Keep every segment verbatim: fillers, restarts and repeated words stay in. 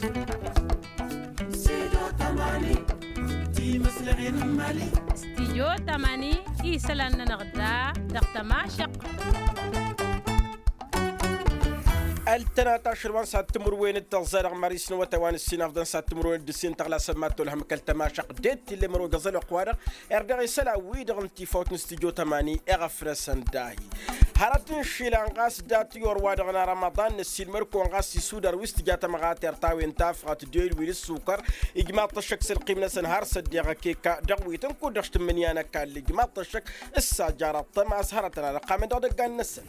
Stidyo tămani isălan-nănăɣ da dăɣ-tămašăqq. Ăltănat ašăl wa n-sattǝmǝrwen d-tăẓẓa dăɣ-maris n-awătay wa n-ǝssin afḍăn sattǝmǝrwen d-ǝssin tăɣlasăn mad-tolhăm kăl-tămašăqq d-e-t tillem ărogăẓ ălwăqq-wa-dăɣ. Irdeɣ isălan-wi-dăɣ n-tifawt n-stidyo tămani iɣăfrăsăn dahi. Hărăt n-išilan ɣas dat-i orwa-dăɣ n-arămăḍan năssiilmăr-kăwăn ɣas isudar wi s-tǝja tămɣatert a-wen tafɣăt d-elwil ǝssukăr. Ijmaḍ-t ăššăk s-ălqim-năsăn har s-ăddeɣ ăkeka dăɣ-wi tăn-kud-dăɣ s-tǝmmǝnǝya n-ăkall ijmaḍ-t ăššăk s-sajăra ăṭṭămas hărătăn ad-ăqqamăn dăɣ-idăggan-năsăn.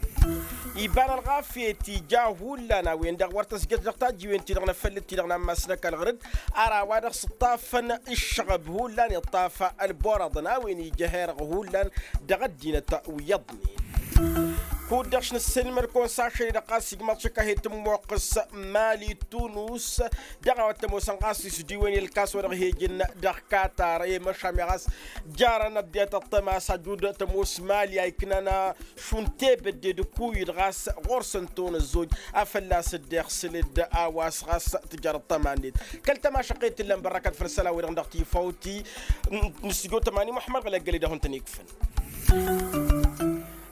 Iba n-ălɣafyăt ija hullan a-wen-dăɣ wăr tăzjăt dăɣ-tajjiwen-ti-dăɣ n-afăllǝt-ti-dăɣ n-ammas n-ăkall ɣǝrǝd. Ar a-wa-dăɣ s-ǝṭṭafăn ǝššăɣăb hullan iṭṭaf ălborăḍăn a-wen ija herăɣ hullan dăɣ-ăddinăt wi iyyăḍnen. Kud-dăɣ š-nǝssilmăd-kăwăn s-ašăl-i-dăɣ ɣas ijmaḍ-t šăkk a he-tǝmmoqqǝs mali tunus. Dăɣ-a-wa t-ămoosăn ɣas isdiwen i-ǝlkas wa dăɣ-he-ǝjǝn dăɣ-katar i-măšan mi ɣas jarăn ăddinăt ăṭṭăma s-ajud tămoos mali a iknan šund tebădde d-ǝkuyǝd ɣas ɣur-săn tăwăn ăzzoj. A fălla-s dd-iɣsǝl-dd a-wa s-ɣas tǝjăr ăṭṭăma-net kăl-tămašăqqet t-ǝllăn bărrăkăt făll-isălan-wi-dăɣ dăɣ-tifawt-i n-stujo tămani muḥămmăd ɣǝlăggăl-i-dăɣ wăn-tăn-ikfăn.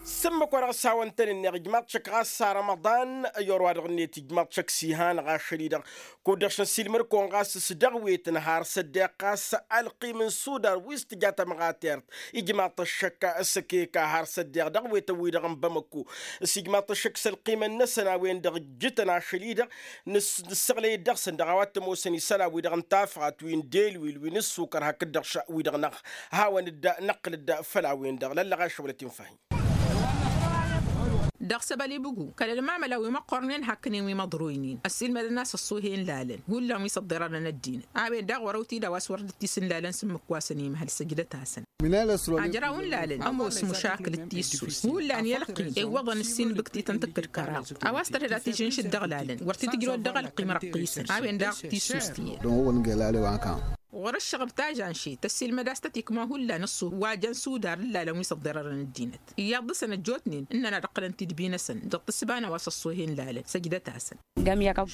S-ǝmmǝk wa dăɣ-s hawăn-tăn-ǝnneɣ ijmaḍ-t šăkk ɣas s-arămăḍan i-orwa-dăɣ-net ijmaḍ-t šăkk s-ihanăɣ ašăl-i-dăɣ. Kud-dăɣ š-năssiilmăd-kăwăn ɣas s-dăɣ-wetăn har s-ăddeɣ ɣas ălqim n-sudar wi s-tǝja tămɣatert. Ijmaḍ-t ăššăk s-ăkeka har s-ăddeɣ dăɣ-wetăn-wi-dăɣ n-bamăko s-ijmaḍ-t ăššăk s-ălqimăn-năsăn a-wen-dăɣ ǝjjǝtăn ašăl-i-dăɣ. Nǝssăɣlăy-dd dăɣ-săn dăɣ-a-wa t-ămoosăn isălan-wi-dăɣ n-tafɣat wi n-delwil wi n-ǝssukăr hakd-dăɣ wi-dăɣ n-aɣ hawăn-dd-năqqǝl-dd făll-a-wen-dăɣ lăllăɣ ašăwălăt infahi. Dăɣ-săbăl ibǝgu kăl-ălmamăla wi măqqornen hakkănen wi măḍroynen ăssiilmădăn a-s ăṣṣuhe n-lalăn hullan wi s-ăḍḍerărăn ăddinăt. A-wen daɣ wăr-ăwtid a-wa s-wăr dd-tisǝnlalăn s-ǝmmǝk wa săn imhăl săjdăt-asăn. Ajraw n-lalăn ămoos mušakǝl d-tissus hullan i-ălqim iwwăḍăn ǝssin bǝktităn tǝkkǝd kăraḍ. A-wa s-tărhǝd ad-t-ijǝnšǝd dăɣ-lalăn wăr t-tǝjrăwăd dăɣ-ălqim răqqisăn a-wen daɣ tissus tiyyăt. Ɣur-ǝššăɣăb tažanšit tăssiilmăd a-s tăt-ikma hullan ǝṣṣu wa jăn sudar n-lalăn wi s-ăḍḍerărăn ăddinăt. Iyyăḍ dăɣ-săn ăjjootnen ǝnnăn ad-ǝqqǝlăn tidbi-năsăn dăɣ-tǝssǝba n-a-wa s-ăṣṣohen lalăn săjdăt-asăn.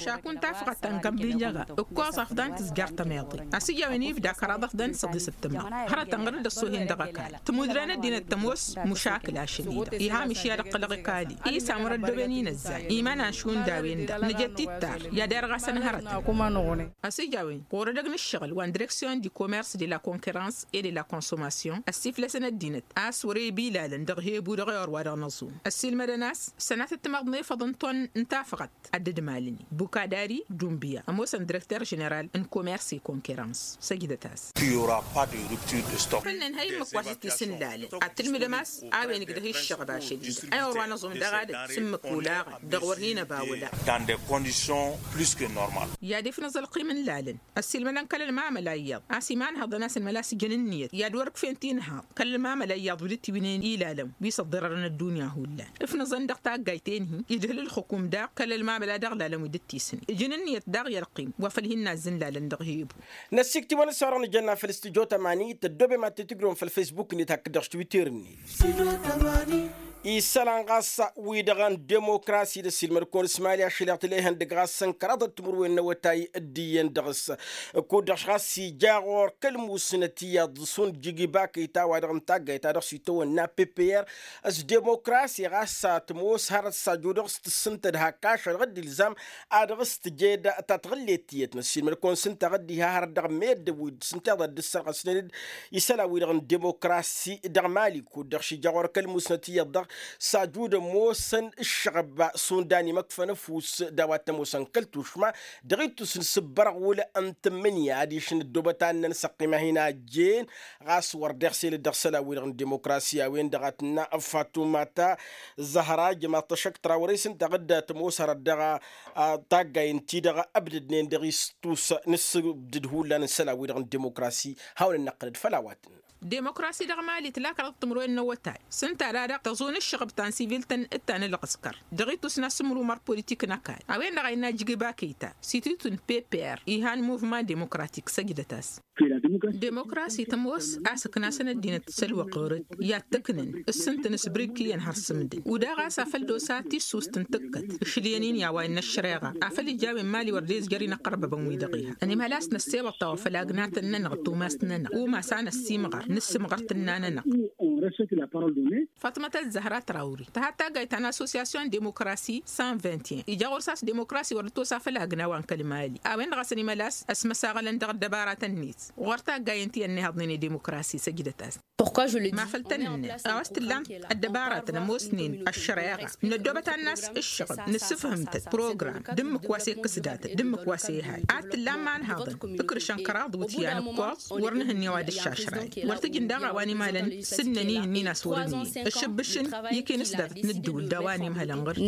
Šakun tafɣăt ta n-gămbinjăɣa ǝkkoẓ afḍăn tǝzjar tămeḍe. A-s ija a-wen ibda kăraḍ afḍăn săḍisăt tǝmra hărătăn ɣăr-dd ăṣṣohen dăɣ-ăkall tǝmudrăn ăddinăt tămoos mušakǝl ašăl-i-dăɣ iha mišya d-ăqqǝlăɣ ikali. Isam wăr-ăddooben inăzzay iman-an šund a-wen-dăɣ nǝjăt tittar i-ad-irɣasăn hărătăn. A-s ija a-wen ɣur-edăgg n-ǝššăɣǝl wa n-direksyon di commerce de la concurrence et de la consommation ăssiflăsăn ăddinăt a-s wăr-ebi ilalăn dăɣ-hebu dăɣ-ewăr wa dăɣ-năẓum. Ăssiilmădăn a-s sănatăt timaḍ n-efăḍ n-ton n-tafɣăt ad-dd-malǝni bukadari dumbiya ămoosăn direkter ženeral n-commerce et concurrence săjdăt-as. Făll-nǝnhăy ǝmmǝk wa s-dd-tisǝnlalăn ad-tǝlmǝdăm a-s a-wen ǝgdăh iššăɣ bašăl-i-dăɣ ăyawăr wa năẓum dăɣ-adǝm s-ǝmmǝk olaɣăn dăɣ-wăr hin-ăba wăla. I-ad-ifnăẓ ălqim n-lalăn ăssiilmădăn kăl-ălmamăla iyyăḍ a-s imanhăḍăn a-s ǝnmăla s-ǝjǝn ǝnniyăt i-ad-wăr-ǝkfen tinhaḍ kăl-ălmamăla iyyăḍ wi dd-tiwǝnen ilalăn wi s-ăḍḍărărăn ăddunya hullan. Ǝfnăẓăn dăɣ-taggayt-en-hi idhǝl ǝlxǝkum daɣ kăl-ălmamăla dăɣ-lalăn wi dd-tisǝn ǝjǝn ǝnniyăt daɣ i-ălqim wa făl hin-nazzǝn lalăn dăɣ-hebu. Năssikt'-iwăn s-orăɣ nǝjănna făll-studyo tămani tăddoobem ad-t-tǝjrǝwăm făll-facebook-net hakd-dăɣ s-twitter-net. Isălan ɣas wi-dăɣ n-demokrasi d-ăssiilmăd-kăwăn s-mali ašăl-i-dăɣ tǝla ihăndăgg ɣas n-kăraḍăt timǝrwen n-awătay d-iyyăn dăɣ-s. Kud-dăɣ ɣas ija ɣur-kăl-musnăt iyyăḍ s-unjǝg ibakăy ta-wa-dăɣ n-taggayt ta dăɣ-s itawănna ppr s-demokrasi ɣas tămoos hărăt s-aju dăɣ-s tǝssǝntăd hak ašăl dăɣ-dd-ilzam ad-dăɣ-s tǝjed tatɣǝllet tiyyăt n-ăssiilmăd-kăwăn s-ǝnta ɣǝddiha hărăt dăɣ-meddǝn wi d-sǝnteḍ ad-dd-ǝssărɣăsnen-dd isălan-wi-dăɣ n-demokrasi dăɣ-mali kud-dăɣ šija ɣur-kăl-musnăt iyyăḍ-dăɣ s-ajud ămoosăn ǝššăɣăb šund a n-imăkfăn ăfuss d-a-wa t-ămoosăn kăl-tušma dăɣ-ittus n-isǝbbărɣul n-tǝmmǝnǝya adiš n-ăddoobăt ad-năn-săqqim a hin-ajjen. Ɣas wăr dd-iɣsel-dd dăɣ-isălan-wi-dăɣ n-demokrasi a-wen-dăɣ a tǝnna fatuma ta zăhra jămaḍ-t ăššăk trawăre s-ǝnta ɣǝdda tămoos hărăt dăɣ-taggay ǝnta-i-dăɣ ăbdădnen dăɣ-istus n-ǝssǝbdǝd hullan n-isălan-wi-dăɣ n-demokrasi. Hawăn-dd-năqqǝlăd făll-a-wa tǝnna. Demokrasi dăɣ-mali tǝla kăraḍ timǝrwen n-awătay s-ǝnta dăɣ-tăẓun ǝššăɣăb ta n-sivil-tăn d-ta n-ǝlɣǝskăr dăɣ-ittus n-asǝmru măr politik n-ăkall a-wen-dăɣ a innă jigba kăyta s-ititun ppr ihan muvman demokratik săjdăt-as. Demokrasi tămoos a-s ǝknasăn ăddinăt s-ălwăqq ɣur-dd i-ad-t-ǝknǝn s-ǝntǝn s-bǝrǝkk iyyăn har sǝmdǝn udaɣ a-s afăl d-osa tissust n-tǝkkăt ǝšlǝyăn-in i-a-wa innă ăššăreɣa afăl ija a-wen mali wăr dezjăr-in ăqqărbăbăn wi-dăɣ iha ănimhăl a-s năssewăḍ tawăfăl agnatăn-nănăɣ d-tumas-nănăɣ umas a năssiimɣăr n-ǝssǝmɣăr tǝnna-nănăɣ. Fatmăt ăzzăhra trawri tăhat taggayt ta n-associasyon demokrasi cent vingt et un ija ɣur-s a-s demokrasi wăr dd-tosa făll-agna wa n-kăl mali a-wen-dăɣ a-s ănimăl a-s ăsmăsaɣălăn dăɣ-ăddăbaratăn-net ɣur-taggayen ti ănnihăḍnen i-demokrasi săjdăt-as. Ma făl tăn-ǝnnăn a-wa s-tǝllam ăddăbaratăn ămoosnen ăššăreɣa năddoobăt ad-nas ǝššăɣǝb nǝssǝfhǝm-tăt program d-ǝmmǝk wa s-ekkǝs datăt d-ǝmmǝk wa s-ehal ad-t-tǝllam ma ănhaḍăn tǝkrǝšăn kăraḍ wǝtyan ǝkkoẓ wăr nǝhǝnne wa d-ǝššašrayăn wăr t-ǝjǝn daɣ a-wa n-imhălăn s-ǝnnăn ihǝnnin a-s wăr-ǝnnin ǝššǝbbǝšǝn ikinǝs datăt n-ǝddǝwǝl d-a-wa n-imhălăn ɣǝr-i.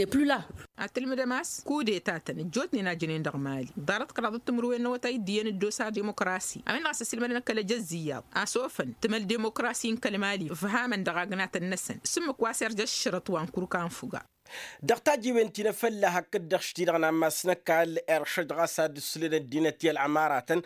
Ad-tǝlmǝdăm a-s kudeta-tăn ăjjootnen a jănen dăɣ-mali ḍarăt kăraḍăt timǝrwen n-awătay d-iyyăn dd-osa demokrasi a-wen-dăɣ a-s ăsilmădăn kăl-ejăzzǝyyaḍ a-s ofăn tǝmăl demokrasi n-kăl-mali ǝfhamăn dăɣ-agnatăn-năsăn s-ǝmmǝk wa s-irjă ăššărăt wa n-kurka n-fuga. Dăɣ-tajiwen ti n-afălla hakd-dăɣ š-ti-dăɣ n-ammas n-ăkall iršăj ɣas ad-ǝslen ăddinăt i-ălɣămaratăn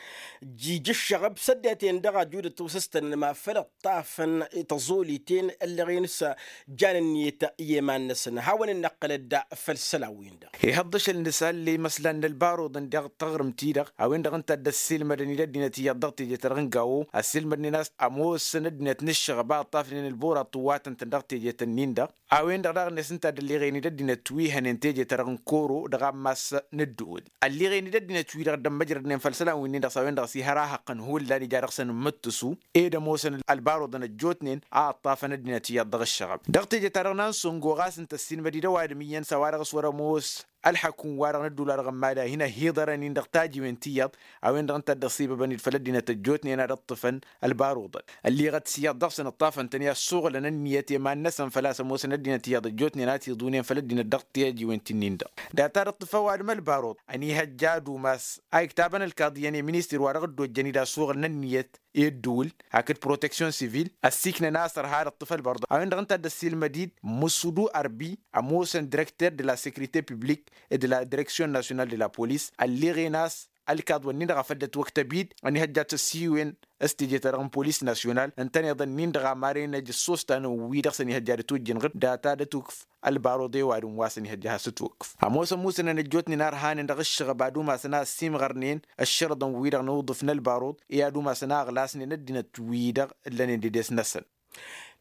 jiji ǝššăɣăb s-ăddinăt-en-dăɣ ajudăt osăstănăn ma făl ǝṭṭafăn tăẓoliten ăllăɣen s-jan ǝnniyăt i-iman-năsăn hawăn-dd-năqqǝlăd făll-isălan-win-dăɣ. Ihăḍ ašăl n-isălan imăslan n-ălbaruḍăn dăɣ-taɣrǝmt-i-dăɣ a-wen-dăɣ ǝnta a dd-ăssiilmădăn-dd ăddinăt iyyăḍ dăɣ-teje-ta-dăɣ n-gawo ăssiilmădnen a-s ămoosăn ăddinăt n-ǝššăɣăb a ǝṭṭafnen ălburaḍ tǝwwatăn-tăn dăɣ-teje-tăn-in-dăɣ. A-wen-dăɣ daɣ-net ǝnta a dd-ălliɣen-dd ăddinăt wi hănen teje-ta-dăɣ n-koro dăɣ-ammas n-ǝddǝwǝl ălliɣen-dd ăddinăt-wi-dăɣ dd-ămmăjrădnen făll-isălan-winnin-dăɣ s-a-wen-dăɣ s-ihăr ahăqqăn hullan ija dăɣ-săn n-imǝttǝsu ed ămoosăn ălbaruḍăn ăjjootnen a ǝṭṭafăn ăddinăt iyyăḍ dăɣ-ǝššăɣăb. Dăɣ-teje-ta-dăɣ n-ansǝngo ɣas ǝnta ăssiilmăd-dd ăwadǝm iyyăn s-a-wa-dăɣ s-wăr-ămoos ălḥăkk n-wa-dăɣ n-ădduul-wa-dăɣ n-mali a hin-ăhhiḍărăn-in dăɣ-tajiwen ti iyyăḍ a-wen-dăɣ ǝnta a dd-ăṣibăbăn-dd făll-ăddinăt ăjjootnen ad-ǝṭṭǝfăn ălbaruḍăn. Ălliiɣăt s-iyyăḍ dăɣ-săn ǝṭṭafăn-tăn i-ad-suɣǝlăn ǝnniyăt i-iman-năsăn făl-a-s ămoosăn ăddinăt iyyăḍ ăjjootnen a t-iḍunen făll-ăddinăt dăɣ-tajiwen ti-nin-dăɣ. Data ad-ǝṭṭǝf ăwadǝm ălbaruḍ ănihăjja ad-umas a iktabăn ălkaḍ iyyăn i-ministir-wa-dăɣ dd-ojjăn-dd a suɣǝlăn ǝnniyăt i-ǝddǝwǝl hakd proteksyon sivil ăssiiknăn a-s ărha ad-ǝṭṭǝf ălbăruḍ a-wen-dăɣ ǝnta a dd-ăssiilmăd-dd mǝssudu ărbi ămoosăn direkter de la sekrite publik de la direksyon nasyonal de la polis ălliɣen a-s ălkaḍ-wăn-nin-dăɣ a făl dd-ătwăktăb-dd ănihăjja ad-tăssiiwen s-teje-ta-dăɣ n-polis nasyonal ǝntăneḍ-ǝnnin-dăɣ a marăn ejăssos ta n-wi-dăɣ s-ănihăjja ad-ătwǝjjǝn ɣǝr data d-ătukǝf ălbaruḍ i-ăwadǝm wa s-ănihăjja ad-has-ătwǝkkǝf. Ămoosăn musǝnăn ăjjootnen a ărhanen dăɣ-ǝššăɣăb ad-umasăn a ăssiimɣărnen ăššărǝḍăn-wi-dăɣ n-uḍǝf n-ălbaruḍ i-ad-umasăn a ăɣlasnen ăddinăt-wi-dăɣ ǝllănen d-edes-năsăn.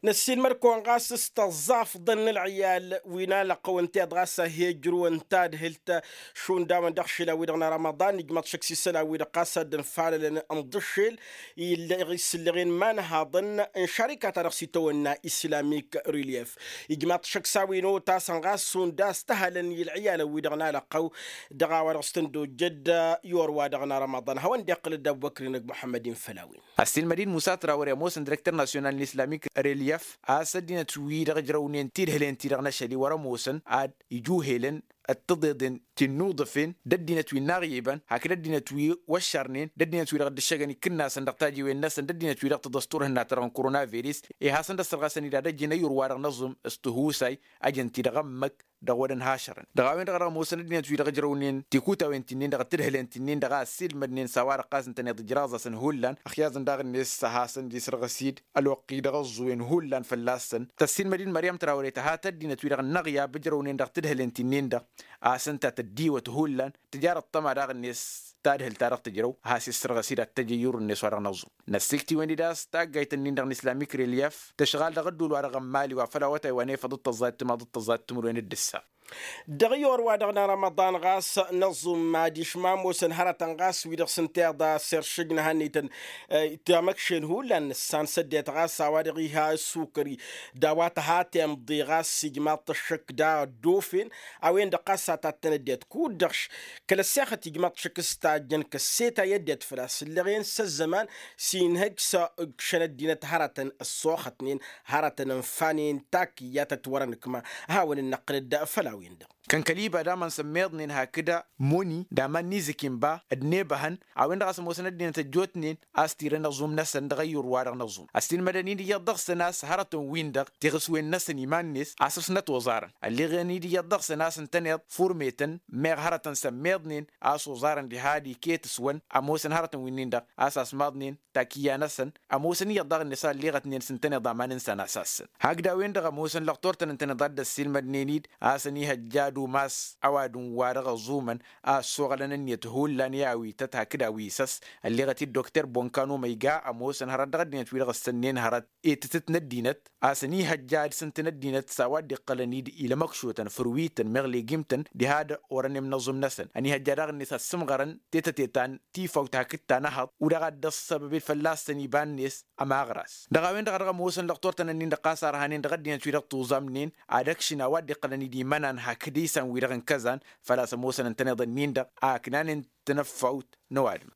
Năssiilmăd-kăwăn ɣas s-tăẓẓafḍăn n-ălɣiyal wi n-alăqqăw ǝnta iḍ ɣas a hi-ăjrǝwăn tadhǝlt šund a-wen dăɣ-išilan-wi-dăɣ n-arămăḍan ijmaḍ šăkk s-isălan-wi-dăɣ ɣas a dd-ǝnfalălăn n-ḍǝššel. Isǝllăɣen imanhaḍăn n-šarika-ta-dăɣ s-itawănna islamik relief ijmaḍ šăkk s-a-wen otasăn ɣas šund a-s tăhălăn i-ălɣiyalăn-wi-dăɣ n-alăqqăw. Dăɣ-a-wa dăɣ-s tăn-dd-ojjăd i-orwa-dăɣ n-arămăḍan hawăn-dd-iqqǝlăd abubăkr-in ăgg muḥămmăd-in făll-a-wen. Ăssiilmăd-dd musa trawăre ămoosăn direkter nasyonal n-islamik relief a-s ăddinăt-wi-dăɣ ǝjrăwnen tidhǝlen-ti-dăɣ n-ašăl-i wăr-ămoosăn ad-ijuhelăn d-tiḍeḍen ti n-inuḍǝfen d-ăddinăt wi n-inaɣyibăn hakd ăddinăt wi wăššărnen d-ăddinăt-wi-dăɣ dd-ǝššăgăn ikǝnnasăn dăɣ-tajiwen-năsăn d-ăddinăt-wi-dăɣ tăḍăstur hǝnna-ta-dăɣ n-koronavirus. Iha a-s ǝnda ăssărɣasăn-dd ad-ăjjǝn ăyyur-wa-dăɣ n-aẓǝm s-tihusay ăjăn-t-dd dăɣ-ămmăk dăɣ-wăr-ănhašărăn dăɣ-a-wen-dăɣ a dăɣ-ămoosăn ăddinăt-wi-dăɣ ǝjrăwnen tikutawen ti-nin-dăɣ d-tidhǝlen ti-nin-dăɣ a ăssiilmădnen s-a-wa-dăɣ ɣas ǝntăneḍ ǝjraẓ-asăn hullan. Ăxyaẓăn daɣ-net a hasăn-dd isărɣǝs-dd ălwăqq-i-dăɣ ăẓẓuwen hullan fălla-săn. Tăssiilmăd-dd măryăm trawăre tăha taddinăt-wi-dăɣ n-inăɣyab ǝjrăwnen dăɣ-tidhǝlen ti-nin-dăɣ a-s ǝnta tăddiwăt hullan tǝjar ăṭṭăma daɣ-net tadhǝlt-ta-dăɣ tǝjrăw a has-issărɣǝs-dd ad-t-ăj ăyyur-net wa dăɣ-năẓẓum. Năssiktǝwăn-dd a-s taggayt-ǝnnin-dăɣ n-islamik relief tǝšɣal dăɣ-ǝddul-wa-dăɣ n-mali wa făl awătay wa n-efăḍ d-tăẓẓayt timaḍ d-tăẓẓayt timǝrwen d-ǝssa. Dăɣ-i orwa-dăɣ n-arămăḍan ɣas năẓẓum adiš ma ămoosăn hărătăn ɣas wi-dăɣ s-ǝnta iḍa s-iršǝj n-ehăn-ităn tamăkšen hullan nǝssan s-ăddinăt ɣas a-wa dăɣ-iha ăssukări d-a-wa tăha timḍe ɣas ijmaḍ-t ăššăk da ăddofen. A-wen-dăɣ ɣas a tattăn ăddinăt kud-dăɣ kăl-ăssexăt ijmaḍ-t šăkk s-tajjăn kăsseta i-ăddinăt făl-a-s ǝllăɣen s-ăzzăman s-inhăj s-ǝkšăn ăddinăt hărătăn ăssoxătnen hărătăn ǝnfanen takǝyyat ătwărăn ǝkma. A hawăn-dd-năqqǝlăd făll-a-wen-dăɣ. Kăn kăl-iba d-aman s-ămmiḍnen hakd moni d-aman n-izǝkinba d-nebăhăn a-wen-dăɣ a-s ămoosăn ăddinăt ăjjootnen a-s tirăn aẓum-năsăn dăɣ-ayyur-wa-dăɣ n-aẓum. Ăssiilmădăn-dd iyyăḍ dăɣ-săn a-s hărătăn-win-dăɣ tiɣǝswen-năsăn iman-net a-s ăsnăt oẓarăn ălleɣăn-dd iyyăḍ dăɣ-săn a-s ǝntăneḍ furmetăn meɣ hărătăn s-ămmiḍnen a-s oẓarăn diha d-iket-s-wăn ămoosăn hărătăn-winnin-dăɣ a-s asmaḍnen takǝyya-năsăn. Ămoosăn iyyăḍ daɣ-net a ălleɣătnen s-ǝntăneḍ aman n-săn a-s assăn hakd a-wen-dăɣ ămoosăn lăqtor-tăn ǝntăneḍ a dd-ăssiilmădnen-dd a-s ănihăjja ad-umas ăwadǝm-wa-dăɣ ăẓumăn a ăssoɣălăn ǝnniyăt hullan i-awităt hakd awisăs. Ălleɣăt-dd dokter bonkano măyga ămoosăn hărăt dăɣ-ăddinăt-wi-dăɣ ǝssănnen hărăt etătăt n-ăddinăt a-s ănihăjja ad-sǝntǝn ăddinăt s-a-wa dd-iqqălăn-dd ilămăkšotăn fărwităn meɣ legimtăn diha d-orănem n-aẓum-năsăn ănihăjja daɣ-net ad-sǝmɣărăn tetăte ta n-tifawt hakd ta n-ehăḍ u-dăɣ a dd-ăssăbăbed fălla-săn iba-net. Ămaɣras dăɣ-a-wen-dăɣ a dăɣ-ămoosăn lăqtor-tăn-ǝnnin-dăɣ ɣas a ărhanen dăɣ-ăddinăt-wi-dăɣ tuẓamnen ad-ăkšǝn a-wa dd-iqqălăn-dd imănan hakd isan-wi-dăɣ n-kăzan făl-a-s ămoosăn ǝntăneḍ-ǝnnin-dăɣ a ǝknanen tinăffawt n-ăwadǝm.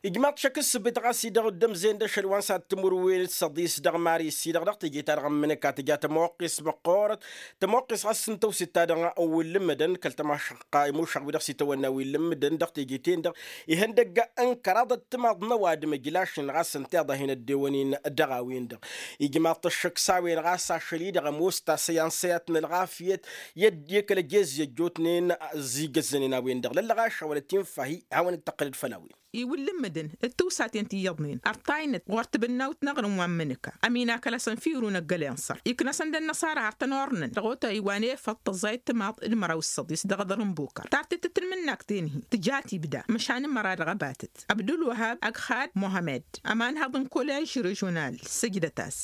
Ijmaḍ-t šăkk ǝssǝbǝt ɣas-i-dăɣ dd-ămzen d-ašăl wa n-sad timǝrwen d-săḍis dăɣ-maris-i-dăɣ dăɣ-teje-ta-dăɣ n-imǝnǝka tǝja tămoqqes măqqoorăt. Tămoqqes ɣas n-tawsit-ta-dăɣ n-wǝllǝmmǝdăn kăl-tămašăqqa imušăɣ-wi-dăɣ s-itawănna wǝllǝmmǝdăn dăɣ-teje-ten-dăɣ ihăndăgg n-kăraḍăt timaḍ n-ăwadǝm ǝjlašnen ɣas ǝnta iḍa hin-ăddewăn-in. Dăɣ-a-wen-dăɣ ijmaḍ-t ăššăk s-a-wen ɣas ašăl-i-dăɣ ămoos tasăy ansa i-ad-t-nǝlɣafyăt i-ădd i-kăl-ăjez i-ăjjootnen. Ăzzigăzzănen a-wen-dăɣ lăllăɣaša wăla tinfa-hi hawăn-dd-tăqqǝlăd făll-a-wen. Iwǝllǝmmǝdăn d-tiwsaten ti iyyăḍnen ărtaynet ɣur-tibǝnnawt n-aɣrǝm wa n-imǝnǝka ămina kăl-asăn firun ăggăl inṣăr iknăsăn d-ănnăṣara har tăn-ornăn dăɣ-otay wa n-efăḍ tăẓẓayăt timaḍ d-măraw s-săḍis dăɣ-iḍăr n-bukăr tartet d-tanmǝnnakt-en-hi tǝja tibda măšan n-măra dăɣ-abatăt. Abdulwăhab ăgg xad muhămmed ămanhăḍ n-kolež režional săjdăt-as.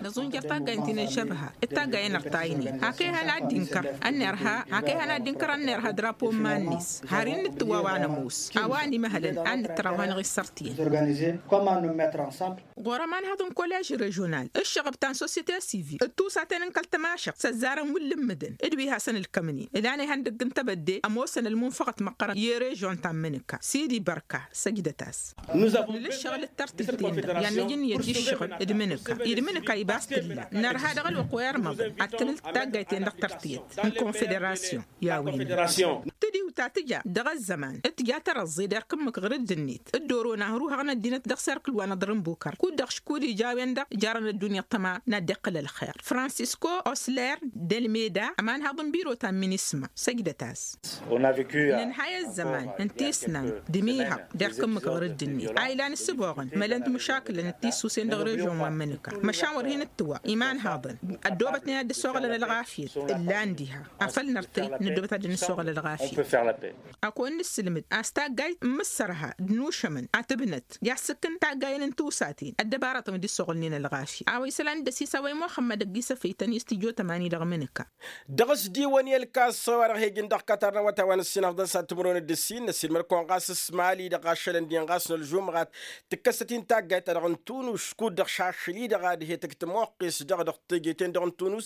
Năẓunjăr taggayen ti nǝžžăbha d-taggayen ărtaynen hak ihăn ad-dd-inkăr ănnerha hak ihăn ad-dd-inkăr ănnerha drapo n-iman-net har innǝttǝwwa wa nămoos a-wa ănimăhălăn ad-nǝttăr a-wa năɣ-issărtǝyăn. Ɣur-ămanhăḍ n-kolež režional ǝššăɣăb ta n-sosyete sivil d-tusaten n-kăl-tămašăɣt s-ăzzarăn wǝllǝmmǝdăn d-wi hasăn-ǝlkămnen ǝlan ihăndăgg n-tebădde ămoosăn ălmunfăɣăt măqqărăn i-režion ta n-imǝnǝka sidi bărka săjdăt-as. Nǝla ǝššăɣǝl d-tărtǝyt-ten-dăɣ i-ad-nǝj ǝnniyăt i-ǝššăɣǝl d-imǝnǝka i-ad-imǝnǝka ibas tǝlla nărha dăɣ-ălwăqq wa irmăḍăn ad-tǝnǝl taggayt-ten-dăɣ tărtǝyăt n-konfederasyon. I-a-wen-dăɣ tǝdiwt ta tǝja dăɣ-ăzzăman d-tǝja tărăẓẓe d-erk ǝmmǝk ɣǝr-dd-net d-oro n-ahruhăɣ n-ăddinăt dăɣ-serkǝl wa n-aḍrǝnbukăr kud-dăɣ škud ija a-wen-dăɣ jarăn ăddunya ăṭṭăma n-ad-dd-iqqǝl ălxer fransisko osler d-ălmeda ămanhăḍ n-biro ta n-minisma. Săjdăt-as. Nǝnhay ăzzăman n-tisnant d-imihăḍ d-erk ǝmmǝk ɣǝr-dd-net a ilan ǝssǝboɣăn mălăn timǝšakǝlăn d-tisusen dăɣ-režion wa n-imǝnǝka măšan wăr hin-ǝttǝwwa imanhaḍăn ăddoobătnen ad-dd-ăsoɣălăn ălɣafyăt ǝllan diha afăl nărtăy năddoobăt ad-dd-nǝssoɣăl ălɣafyăt. Ad-kăwăn-nǝssǝlmǝd a-s taggayt n-imǝssărha d-inušămăn ad-tǝbnăt i-ad-sǝkkǝn taggayen n-tiwsaten ăddăbarătăn wi dd-ǝssoɣǝlnen ălɣafyăt a-wa isălan dd-ăsisawăy muxămmăd ăgg-isăfăytăn i-studyo tămani dăɣ-imǝnǝka. Dăɣ-s d-iwăn i-ălkas wa dăɣ-hegǝn dăɣ-kătar n-awătay wa n-ǝssin ăfḍăn s-ad-timǝrwen d-ǝssin n-ăssiilmăd-kăwăn ɣas s-mali-dăɣ ašăl ǝndin ɣas n-ălžumɣat tǝkkăsăt-in taggayt-ta-dăɣ n-tunus kud-dăɣ šašăl-i-dăɣ ad-he-tǝkt tămoqqes dăɣ-dăɣ teje-ten-dăɣ n-tunus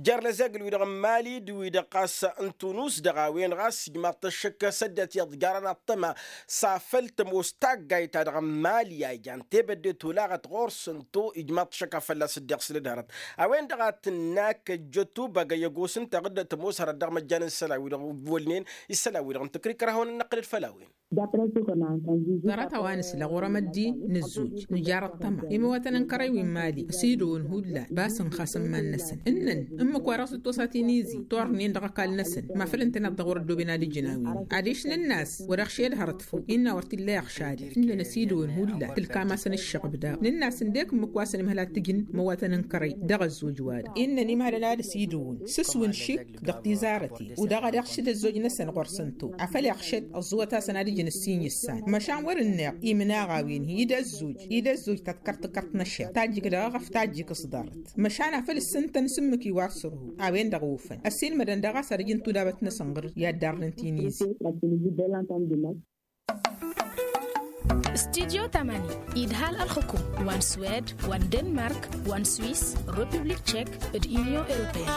jer-lăzegǝl-wi-dăɣ n-mali d-wi-dăɣ ɣas n-tunus dăɣ-a-wen ɣas ijmaḍ-t ăššăk s-ăddinăt iyyăḍ jarăn aṭṭăma s-afăl tămoos taggayt-ta-dăɣ n-mali a ijan tebădde tolaɣăt ɣur-săn to ijmaḍ-t ăššăk a fălla-s dd-iɣsǝl d-hărăt. A-wen-dăɣ a tǝnna kăjjăt ubăgăy ăgos ǝnta ɣǝddăt ămoos hărăt dăɣ-măjjan n-isălan-wi-dăɣ wălnen isălan-wi-dăɣ n-tǝkrǝy kărhawăn-in-năqqǝlăd făll-a-wen. Ḍarăt a-wa nǝsla ɣur-emăddi nǝzzuj nǝjar ăṭṭăma imawătăn n-kărăy wi n-mali ăsidăwăn hullan basăn xas n-iman-năsăn ǝnnăn ǝmmǝk-wa-dăɣ s-dd-tosa tinizi tornen dăɣ-ăkall-năsăn mafăl ǝntăneḍ-dăɣ wăr-ăddooben ad-ǝjǝn a-wen adiš nǝnn'-as wăr-iɣšed hărăt făw innă wăr t-illa iɣšad-i ǝnnăn ăsidăwăn hullan tǝlkam-asăn ǝššăɣb daɣ nǝnn'-as ǝndek ǝmmǝk wa săn imhăl ad-t-ǝjǝn imawătăn n-kărăy dăɣ-ăzzuj-wa-dăɣ innăn imhălăn ad-ăsidăwăn s-ǝswǝn šik dăɣ-tizarăten u-dăɣ ad-iɣšǝd ăzzoj-năsăn ɣur-săn to afăl iɣšăd ăẓẓuwăt-asăn ad-ǝjǝn ǝssin i-issan măšan wăr-ǝnneɣ imnaɣ a-wen-hi d-ăzzoj d-ăzzoj ta t-kărt-kărt n-ašer tajjǝk dăɣ-eɣăf tajjǝk s-ḍarăt măšan afăl ǝssǝntăn s-ǝmmǝk-i wa sărhu a-wen-dăɣ ofăn ăssiilmădăn daɣ a-s ad-ǝjǝn tudabăt-năsăn ɣur-i ad-darrăn tinizi. Studyo tamani idhal ălxǝkum wa n-swed wa n-denmark wa n-swis, republik tchek d-union europeen.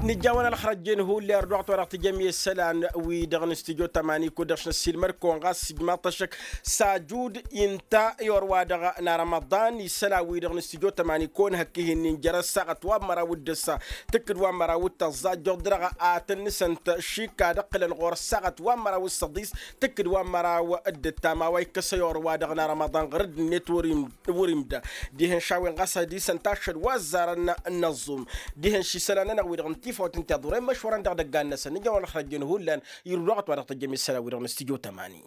Nǝjja a-wen ălxărăjjen hulli ărduɣăt wa dăɣ-tǝjjăm i-isălan-wi-dăɣ n-studyo tămani kud-dăɣ s-năssiilmăd-kăwăn ɣas ijmaḍ-t ăššăk s-ajud inta i-orwa-dăɣ n-arămăḍan isălan-wi-dăɣ n-studyo tămani kăwăn-hăkk ihi-nin jer-ăssaɣăt wa n-măraw d-ǝssa tǝkkǝd wa n-măraw d-tăẓẓa ăjjoḍ dăɣ-a tăn-nǝsăn-t šikka ad-ǝqqǝlăn ɣur-ăssaɣăt wa n-măraw d-săḍis tǝkkǝd wa n-măraw d-ǝttam a-wa ikkăs ăyor-wa-dăɣ n-arămăḍan ɣur-dd-net wăr-imda. Dihen šawen ɣas ad-isăn taššăd wa ăzzarăn n-ăẓẓum dihen šisălan-nănăɣ-wi-dăɣ n-tifawt n-tiḍuren măšwărăn dăɣ-idăggan-năsăn nǝjăwăn ălxărăjjen hullan. Irduɣăt wa dăɣ-tăjjăm isălan-wi-dăɣ n-studyo tămani.